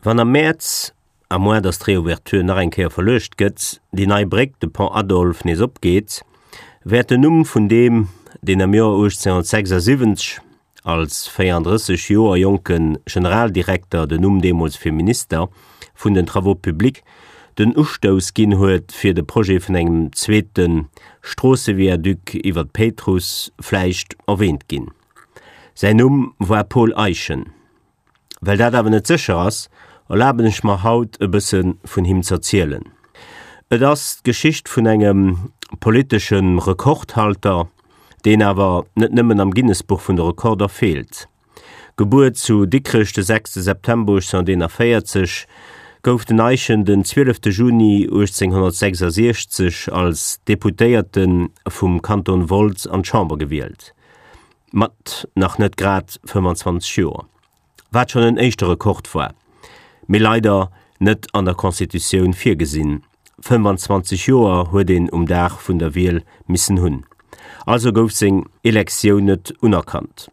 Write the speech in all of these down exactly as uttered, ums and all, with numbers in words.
Wann am Mäerz, à moins dass d'Reouverture nach eng Kéier verluecht gëtt, déi nei Bréck, de Pont Adolphe, nees opgeet, wäert den Numm vun deem, deen am Joer uechtzénhunnertsechsasiwwenzeg als véierandrësseg Joer jonke Generaldirekter, den Numm deemools fir Minister vun den Travaux publics, den Ustouss ginn huet fir de Projet vun engem zweete Stroosseviaduc iwwer d'Péitruss, vläicht erwäänt ginn. Säin Numm war Paul Eyschen. Well dat awer net sécher ass, erlaben ech mer haut e bësse vun him z'erzielen. Et ass d'Geschicht vun engem politesche Rekordhalter, deen awer net nëmmen am Guinness-Buch vun de Rekorder feelt. Gebuer zu Dikrech de sechste September uechtzénhunnerteenavéierzeg, gouf den Eyschen den zwielefte Juni uechtzénhunnertsechsasiechzeg als Deputéierte vum Kanton Wolz an d'Chamber gewielt, mat nach net grad fëmmandzwanzeg Joer. Wat schonn en éischte Rekord war, mee leider net an der Constitutioun virgesinn, fëmmandzwanzeg Joer huet een um Dag vun der Wiel missen hunn. Also gouf seng Elektioun net unerkannt.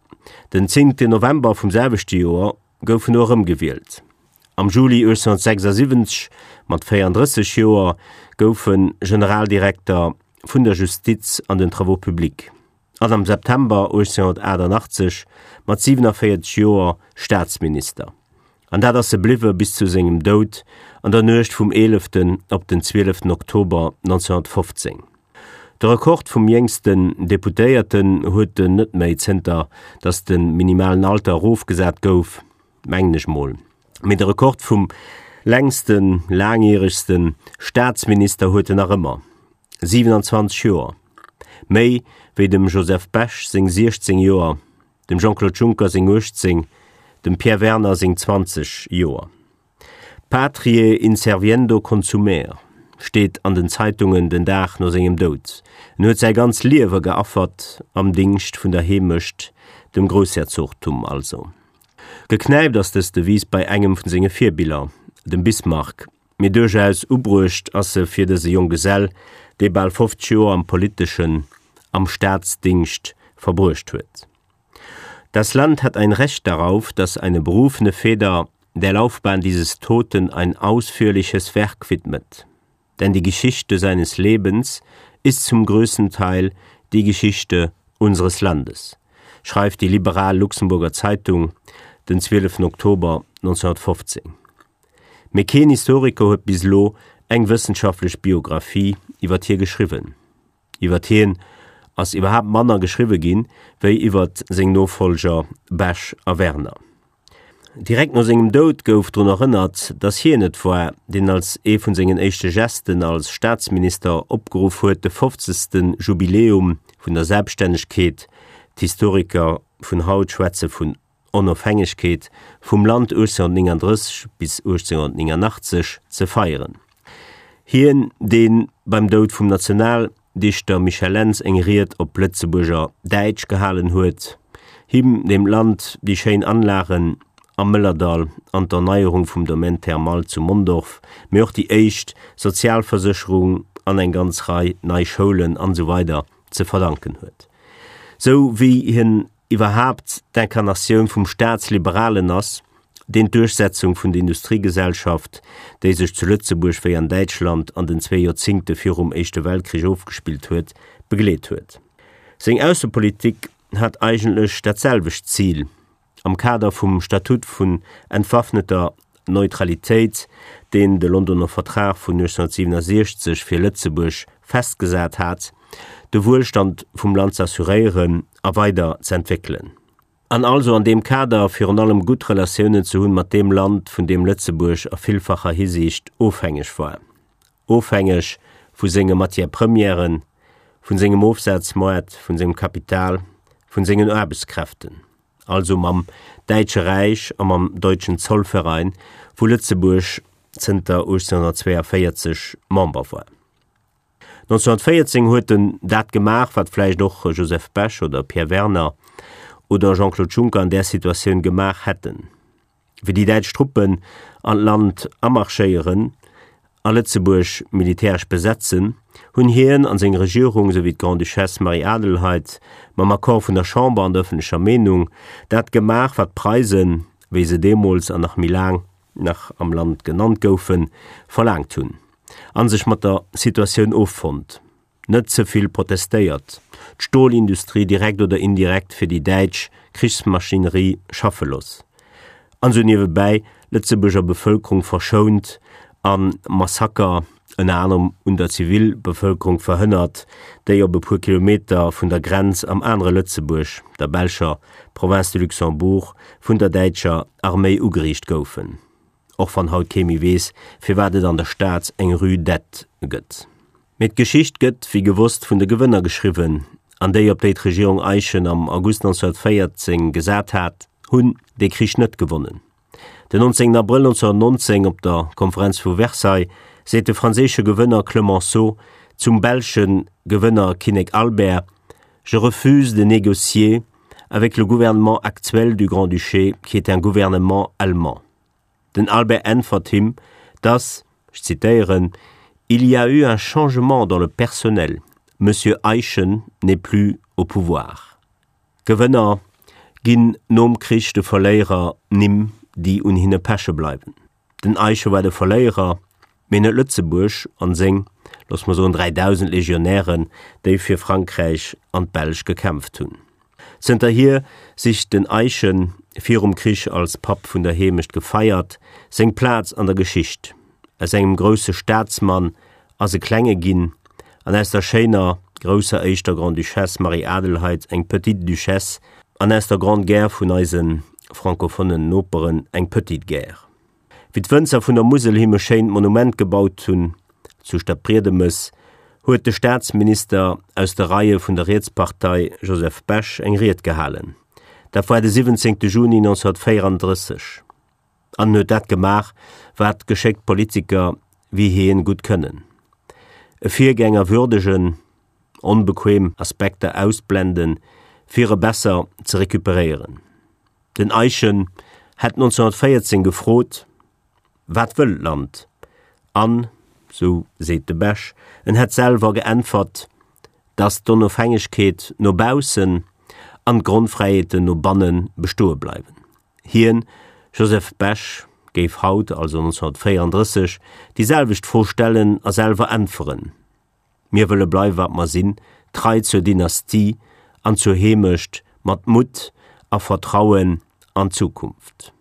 Den zéngte November vum selwechte Joer gouf en no erëmgewielt. Am Juli uechtzénhunnertsechsasiwwenzeg, mat véierandrësseg Joer, gouf en Generaldirekter vun der Justiz an den Travaux publics an am September uechtzénhunnertaachtannachtzeg mat siwenavéierzeg Joer Staatsminister. An dat ass e bliwwe bis zu sengem Doud an der Nuecht vum eeleften op den zwieleften Oktober nonzénhunnertfofzéng. De Rekord vum jéngsten Deputéierten huet en net méi, zënter datt de minimalen Alter erofgesat gouf, mengen ech mol. Mee de Rekord vum längsten, laangjäregsten Staatsminister huet en nach ëmmer, siwenanzwanzeg Joer, méi wéi dem Joseph Bech seng siechzéng Joer, dem Jean-Claude Juncker seng uechtzéng, dem Pierre Werner seng zwanzeg Joer. Patriae inserviendo consumer steet an den Zeitungen den Dag no sengem Doud. En huet säi ganz Liewe geaffert am Dingscht vun der Heemecht, dem Groussherzogtum also. Geknäipt ass dës Devise bei engem vun senge Virbiller, dem Bismarck, mee duerchaus ubruecht ass se fir dëse Jonggesell, dee bal fofzeg Joer am politeschen, am Staatsdingscht verbruecht huet. Das Land hat ein Recht darauf, dass eine berufene Feder der Laufbahn dieses Toten ein ausführliches Werk widmet. Denn die Geschichte seines Lebens ist zum größten Teil die Geschichte unseres Landes, schreift die liberal Luxemburger Zeitung den zwieleften Oktober neunzehnhundertfofzéng. Mee keen Historiker huet bis elo eng wëssenschaftlech Biographie iwwert hie geschriwwen. Iwwert hien ass iwwerhaapt manner geschriwwe ginn, wéi iwwert seng Nofollger Bech a Werner. Direkt no sengem Doud gouf drun erënnert, datt hien et war, deen als ee vun sengen éischte Gesten als Staatsminister opgeruff huet, de fofzegste Jubiläum vun der Selbststännegkeet, d'Historiker vun haut schwätze vun Onofhängegkeet, vum Land uechtzénhunnertnénganddrësseg bis uechtzénhunnertnénganachtzeg ze feieren. Hien, dee beim Doud vum Nationaldichter Michel Lentz eng Ried op Lëtzebuerger Däitsch gehalen huet, him, deem d'Land déi schéin Anlagen am Mëllerdall an d'Erneierung vum Domaine thermal zu Mondorf, mee och déi éischt Sozialversécherung an eng ganz Rei nei Schoulen an esou weider ze verdanken huet. Sou wéi hien iwwerhaapt d'Inkarnatioun vum Staatsliberalen ass, deen d'Duerchsetzung vun der Industriegesellschaft, déi sech zu Lëtzebuerg wéi an Däitschland an den zwee Joerzingte virum Éischte Weltkrich ofgespillt huet, begleet huet. Seng Aussepolitik hat eigentlech dat selwecht Zil, am Kader vum Statut vun entwaffneter Neutralitéit, deen de Londoner Vertrag vun uechtzénhunnertsiwwenundsechzeg fir Lëtzebuerg festgesat hat, de Wuelstand vum Land z'assuréieren a weider z'entwéckelen. An also an deem Kader virun allem gutt Relatiounen ze hunn mat deem Land, vun deem Lëtzebuerg a villfacher Hisiicht ofhängeg war, ofhängeg vu senge Matière-premièren, vun sengem Ofsazmoart, vun sengem Kapital, vun sengen Aarbechtskräften, also mam Däitsche Räich a mam Deutschen Zollverein, wou Lëtzebuerg zënter uechtzénhunnertzwéianvéierzeg Member war. neunzehnhunnertvéierzéng huet en dat gemaach, wat vläicht och Joseph Bech oder Pierre Werner oder Jean-Claude Juncker an där Situatioun gemaach hätten. Wéi déi däitsch Truppen an d'Land amarschéieren a Lëtzebuerg militäresch besetzen, hunn hien an seng Regierung souwéi d'Grande-Duchesse Marie-Adelheid mam Accord vun der Chamber an der ëffentlecher Meenung dat gemaach, wat d'Preisen, wéi se deemools an nach méi laang nach am Land genannt goufen, verlaangt hunn, a sech mat der Situatioun offonnt, net ze vill protestéiert, d'Stolindustrie direkt oder indirekt fir déi däitsch Krichsmaschinerie schaffe looss, an sou niewebäi d'Lëtzebuerger Bevëlkerung verschount a Massaker ënner anerem un der Zivilbevëlkerung verhënnert, déi op e puer Kilometer vun der Grenz am anere Lëtzebuerg, der belscher Province de Luxembourg, vun der däitscher Arméi ugeriicht goufen. Och wann haut kee méi weess, firwat et an der Stad eng Rue d'Etz gëtt. Mee d'Geschicht gëtt, wéi gewosst, vun de Gewënner geschriwwen, an déi, op déi d'Regierung Eyschen am August neunzehnhunnertvéierzéng gesat hat, hunn dee Krich net gewonnen. Den nonzéngten Abrëll neunzehnhunnertnonzéng op der Konferenz vu Versailles seet de franséische Gewënner Clemenceau zum belsche Gewënner Kinnek Albert, Je refuse de négocier avec le gouvernement actuel du Grand-Duché, qui est un gouvernement allemand. Den Albert äntwert him, dass, ech zitéieren, Il y a eu un changement dans le personnel. Monsieur Eyschen n'est plus au pouvoir. Gewënner ginn nom Krich de Verléierer Nimm, déi un hinne peche bleiwen. Den Eyschen war de Verléierer, mee net Lëtzebuerg an seng, looss mer soen, dräidausend Legionären, déi fir Frankräich an d'Belsch gekämpft hunn. Zënterhier sicht den Eyschen, virum Krich als Papp vun der Heemecht gefeiert, seng Plaz an der Geschicht. Aus engem grousse Staatsmann ass e klenge ginn, an aus der schéiner grousser éischter Grande-Duchesse Marie-Adelheid eng Petite Duchesse an aus der Grande Guerre vun eise francophonen Noperen eng Petite Guerre. Wéi d'Wënzer vun der Musel him e schéint Monument gebaut hunn zu Stadbriedemes, huet de Staatsminister aus de Reie vun der Rietspartei Joseph Bech eng Ried gehalen. Dat war de siwwenzéngte Juni neunzehnhunnertvéierandrësseg. An en huet dat gemaach, wat geschéckt Politiker wéi hien gutt kënnen, e Virgänger würdegen, onbequem Aspekter ausblenden, fir e besser ze recuperéieren. Den Eyschen hätt neunzehnhunnertvéierzéng gefrot, Wat wëll d'Land? An, sou seet de Bech, en hätt selwer geäntwert, datt d'Onofhängegkeet no baussen an d'Grondfräiheeten no banne bestoe bleiwen. Hien, Joseph Bech, géif haut, also neunzehnhunnertvéierandrësseg, déi selwecht Fro stellen a selwer äntweren, Mir wëlle bleiwe wat mer sinn, trei zur Dynastie an zur Heemecht, mat Mutt a Vertrauen an d'Zukunft.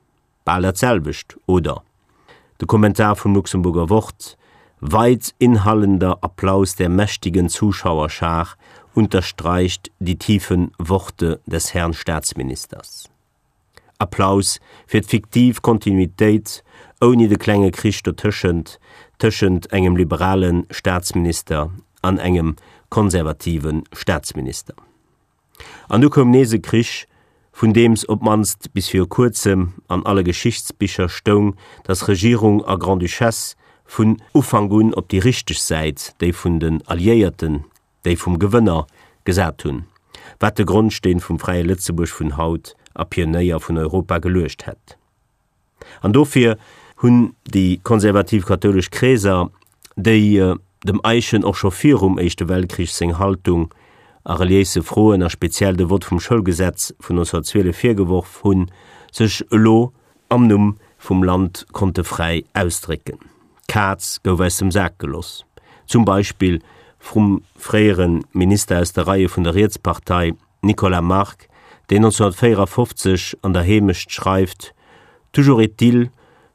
Bal dat selwecht, oder? De Kommentar vum Luxemburger Wort, Weit inhallender Applaus der mächtigen Zuschauerschar unterstreicht die tiefen Worte des Herrn Staatsministers. Applaus fir d'fiktiv Kontinuitéit ouni de klenge Krich dotëschent, tëschent engem liberale Staatsminister an engem konservative Staatsminister. An du koum nees e Krich, vun deems op d'mannst bis viru kuerzem an alle Geschichtsbicher stoung, dass Regierung a Grande-Duchesse vun Ufank un op déi richteg Säit, déi vun den Alliéierten, déi vum Gewënner, gesat hunn, wat de Grondsteen vum fräie Lëtzebuerg vun haut a Pionéier vun Europa geluecht hätt. An dofir hunn déi konservativ-kathoulesch Kreeser, déi dem Eyschen och scho virum Éischte Weltkrich seng Haltung a reliéise Froen a speziell de Vott vum Schoulgesetz vun neunzehnhunnertzwielef virgeworf hunn, sech elo am Numm vum Land konnte fräi ausdrécken. D'Kaz gouf aus dem Sak geloss, zum Beispill vrum fréiere Minister aus de Reie vun der Rietspartei Nicolas Margue, deen neunzehnhunnertvéierafofzeg an der Heemecht schreift, Toujours est-il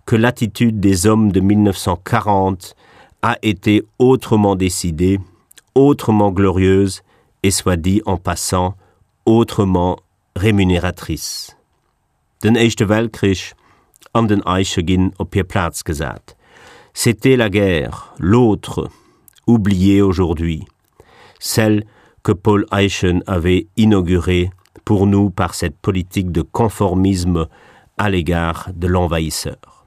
que l'attitude des hommes de mille neuf cent quarante a été autrement décidée, autrement glorieuse et, soit dit en passant, autrement rémunératrice. Den Éischte Weltkrich an den Eyschen ginn op hir Plaz gesat. C'était la guerre, l'autre, oubliée aujourd'hui, celle que Paul Eyschen avait inaugurée pour nous par cette politique de conformisme à l'égard de l'envahisseur.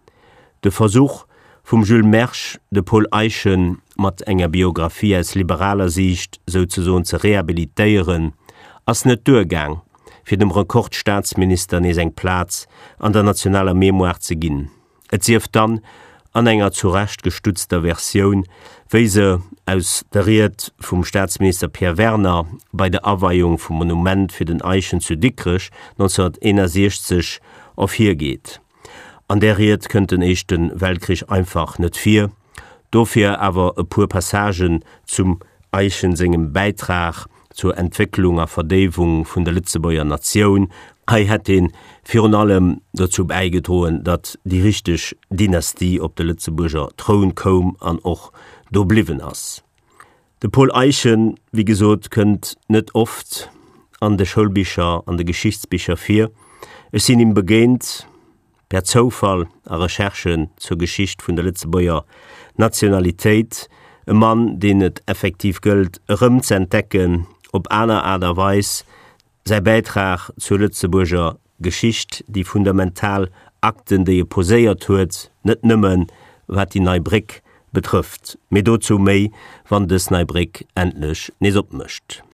De Versuch vum Jules Mersch, de Paul Eyschen mat enger Biographie aus liberaler Siicht souzesoen ze rehabilitéieren, ass net duergaang, fir dem Rekordstaatsminister nees eng Plaz an der nationaler Mémoire ze ginn, et sief dann an enger zu Recht gestutzter Versioun, wéi se aus der Ried vum Staatsminister Pierre Werner bei der Aweiung vum Monument fir den Eyschen zu Dikrech neunzehnhunnerteenundsechzeg ervirgeet. An där Ried kënnt den Éischte Weltkrich einfach net vir. Dofir awer e puer Passagen zum Eyschen sengem Bäitrag zur Entwécklung a Verdéiwung vun der Lëtzebuerger Natioun. Hei hätt hien virun allem dozou bäigedroen, datt déi richteg Dynastie op de Lëtzebuerger Troun koum an och do bliwwen ass. De Paul Eyschen, wéi gesot, kënnt net oft an de Schoulbicher, an de Geschichtsbicher vir. Ech sinn him begéint per Zoufall a Recherchen zur Geschicht vun der Lëtzebuerger Nationalitéit. E Mann, deen et effektiv gëllt erëmz'entdecken op aner Aart a Weis, säi Bäitrag zur Lëtzebuerger Geschicht, déi fundamental Akten, déi e poséiert huet, net nëmmen wat déi nei Bréck betrëfft. Mee dozou méi, wann dës nei Bréck endlech nees opmécht.